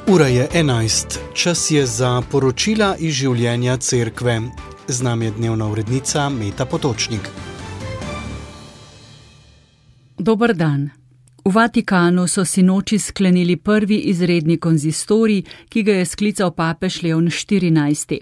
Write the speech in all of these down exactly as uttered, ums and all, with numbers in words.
Ura je enajst, čas je za poročila iz življenja cerkve. Z nami je dnevna urednica Meta Potočnik. Dober dan. V Vatikanu so sinoči sklenili prvi izredni konzistorij, ki ga je sklical papež Leon štirinajsti.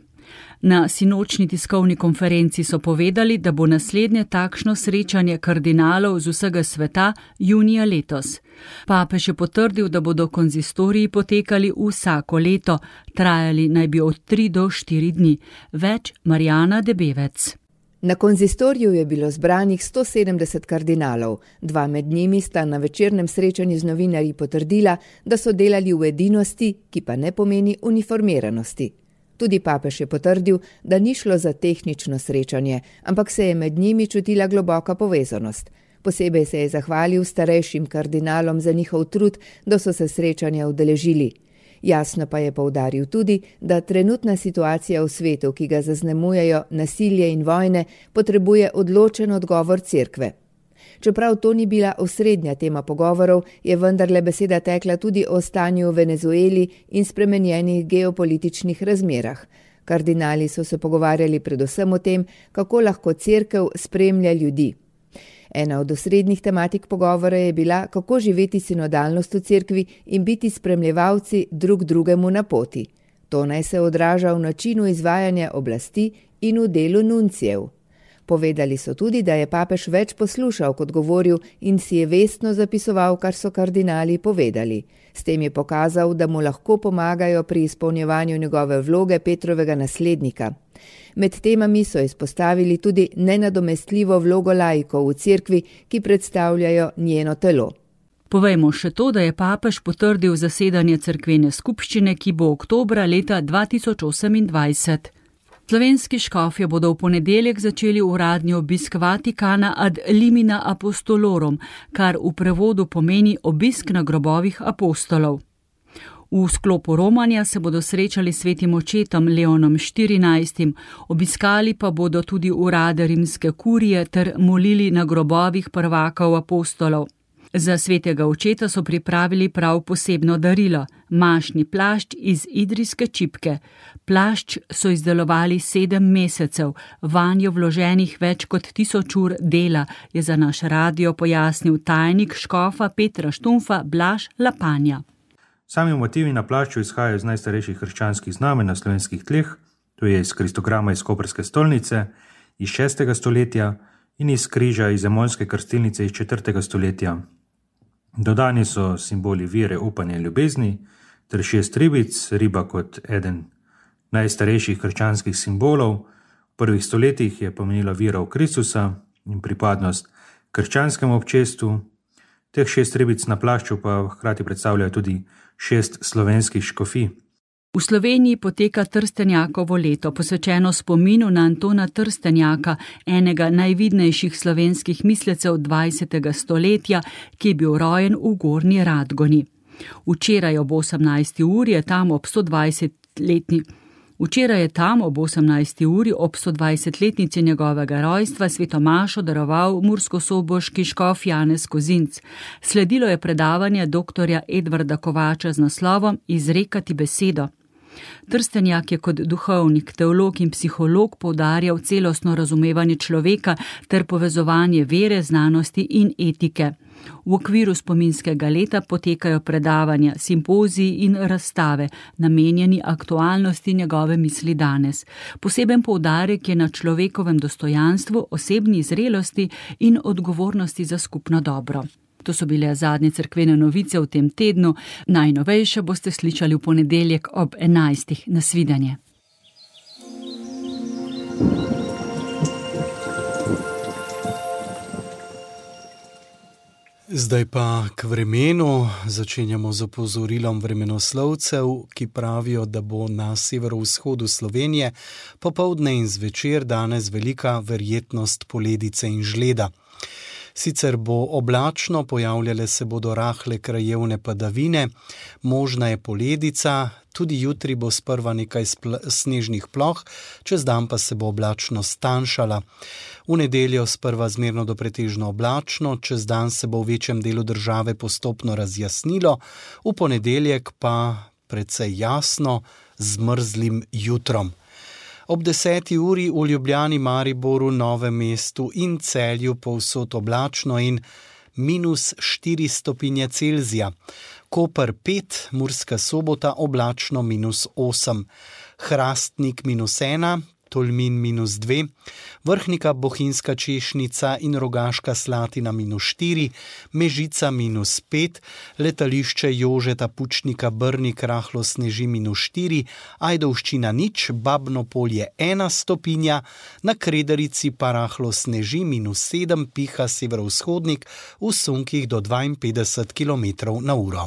Na sinočni tiskovni konferenci so povedali, da bo naslednje takšno srečanje kardinalov z vsega sveta junija letos. Papež je potrdil, da bodo konzistoriji potekali vsako leto, trajali naj bi od tri do štiri dni. Več Marjana Debevec. Na konzistoriju je bilo zbranih sto sedemdeset kardinalov, dva med njimi sta na večernem srečanju z novinarji potrdila, da so delali v edinosti, ki pa ne pomeni uniformiranosti. Tudi papež je potrdil, da ni šlo za tehnično srečanje, ampak se je med njimi čutila globoka povezanost. Posebej se je zahvalil starejšim kardinalom za njihov trud, da so se srečanja udeležili. Jasno pa je poudaril tudi, da trenutna situacija v svetu, ki ga zaznamujejo nasilje in vojne, potrebuje odločen odgovor cerkve. Čeprav to ni bila osrednja tema pogovorov, je vendarle beseda tekla tudi o stanju v Venezueli in spremenjenih geopolitičnih razmerah. Kardinali so se pogovarjali predvsem o tem, kako lahko cerkev spremlja ljudi. Ena od osrednjih tematik pogovora je bila, kako živeti sinodalnost v cerkvi in biti spremljevalci drug drugemu na poti. To naj se odraža v načinu izvajanja oblasti in v delu nuncijev. Povedali so tudi, da je papež več poslušal kot govoril in si je vestno zapisoval, kar so kardinali povedali. S tem je pokazal, da mu lahko pomagajo pri izpolnjevanju njegove vloge Petrovega naslednika. Med temami so izpostavili tudi nenadomestljivo vlogo laikov v cerkvi, ki predstavljajo njeno telo. Povejmo še to, da je papež potrdil zasedanje cerkvene skupščine, ki bo oktobra leta dva tisoč osemindvajset. Slovenski škofje bodo v ponedeljek začeli uradni obisk Vatikana ad limina apostolorum, kar v prevodu pomeni obisk na grobovih apostolov. V sklopu romanja se bodo srečali s svetim očetom Leonom štirinajstim, obiskali pa bodo tudi urade rimske kurije ter molili na grobovih prvakov apostolov. Za svetega očeta so pripravili prav posebno darilo, mašni plašč iz idrijske čipke. Plašč so izdelovali sedem mesecev, vanjo vloženih več kot tisoč ur dela, je za naš radio pojasnil tajnik škofa Petra Štumfa Blaž Lapanja. Sami motivi na plašču izhajajo iz najstarejših krščanskih znamenj na slovenskih tleh, to je iz kristograma iz koprske stolnice iz šestega stoletja in iz križa iz zemonske krstilnice iz četrtega stoletja. Dodani so simboli vere, upanja in ljubezni, ter šest ribic, riba kot eden najstarejših krščanskih simbolov. V prvih stoletjih je pomenila vera v Kristusa in pripadnost krščanskemu občestvu. Teh šest ribic na plašču pa hkrati predstavljajo tudi šest slovenskih škofij. V Sloveniji poteka Trstenjakovo leto, posvečeno spominu na Antona Trstenjaka, enega najvidnejših slovenskih mislecev dvajsetega stoletja, ki je bil rojen v Gornji Radgoni. Včeraj ob osemnajsti uri je tam ob stodvajsetletni Včeraj je tam ob osemnajsti uri ob stodvajsetletnici njegovega rojstva svetomašo daroval murskosoboški škof Janez Kozinc. Sledilo je predavanje doktorja Edvarda Kovača z naslovom Izrekati besedo. Trstenjak je kot duhovnik, teolog in psiholog poudarjal celostno razumevanje človeka ter povezovanje vere, znanosti in etike. V okviru spominskega leta potekajo predavanja, simpoziji in razstave, namenjeni aktualnosti njegove misli danes. Poseben poudarek je na človekovem dostojanstvu, osebni zrelosti in odgovornosti za skupno dobro. To so bile zadnje cerkvene novice v tem tednu, najnovejše boste slišali v ponedeljek ob enajstih. Nasvidenje. Zdaj pa k vremenu. Začenjamo z opozorilom vremenoslovcev, ki pravijo, da bo na severovzhodu Slovenije popoldne in zvečer danes velika verjetnost poledice in žleda. Sicer bo oblačno, pojavljale se bodo rahle krajevne padavine, možna je poledica, tudi jutri bo sprva nekaj snežnih ploh, čez dan pa se bo oblačno stanjšala. V nedeljo sprva zmerno do pretežno oblačno, čez dan se bo v večjem delu države postopno razjasnilo, v ponedeljek pa precej jasno, z mrzlim jutrom. Ob deseti uri v Ljubljani, Mariboru, Novem mestu in Celju povsod oblačno in minus štiri stopinje Celzija. Koper pet, Murska Sobota oblačno minus osem. Hrastnik minus ena, Tolmin minus dve, Vrhnika, Bohinjska Češnica in Rogaška Slatina minus štiri, Mežica minus pet, letališče Jožeta Pučnika Brnik rahlo sneži minus štiri, Ajdovščina nič, Babno Polje ena stopinja, na Krederici pa rahlo sneži minus sedem, piha severovzhodnik v sunkih do dvainpetdeset kilometrov na uro.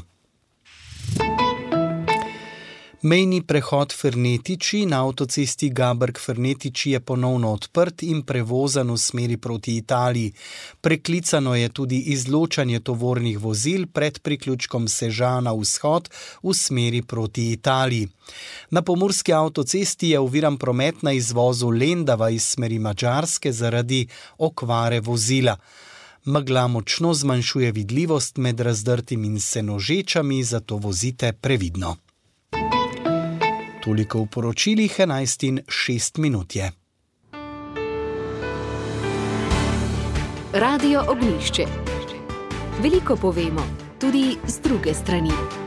Mejni prehod Fernetiči na avtocesti Gaberg-Fernetiči je ponovno odprt in prevozan v smeri proti Italiji. Preklicano je tudi izločanje tovornih vozil pred priključkom Sežana vzhod v smeri proti Italiji. Na pomurski avtocesti je oviran promet na izvozu Lendava iz smeri Madžarske zaradi okvare vozila. Megla močno zmanjšuje vidljivost med razdrtim in senožečami, zato vozite previdno. Toliko v poročilih, enajst in šest minut je. Radio Ognjišče. Veliko povemo, tudi z druge strani.